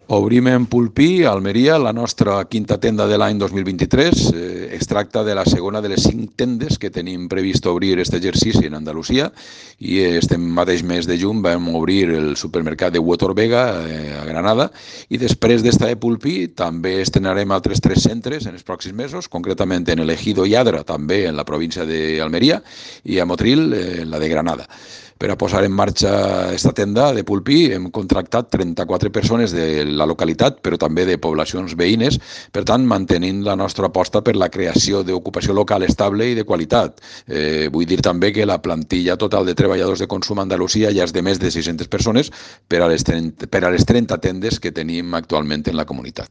Obrim en Pulpí, a Almeria, la nostra quinta tenda de l'any 2023. Es tracta de la segona de les 5 tendes que tenim previst obrir aquest exercici en Andalusia i este mateix mes de juny vam obrir el supermercat de Huetor Vega a Granada i després d'esta de Pulpí també estrenarem altres 3 centres en els pròxims mesos, concretament en el Ejido i Adra, també en la província d'Almeria, i a Motril, en la de Granada. Per a posar en marxa aquesta tenda de Pulpí hem contractat 34 persones de la localitat, però també de poblacions veïnes, per tant, mantenint la nostra aposta per la creació d'ocupació local estable i de qualitat. Vull dir també que la plantilla total de treballadors de consum a Andalusia ja és de més de 600 persones per a les 30 tendes que tenim actualment en la comunitat.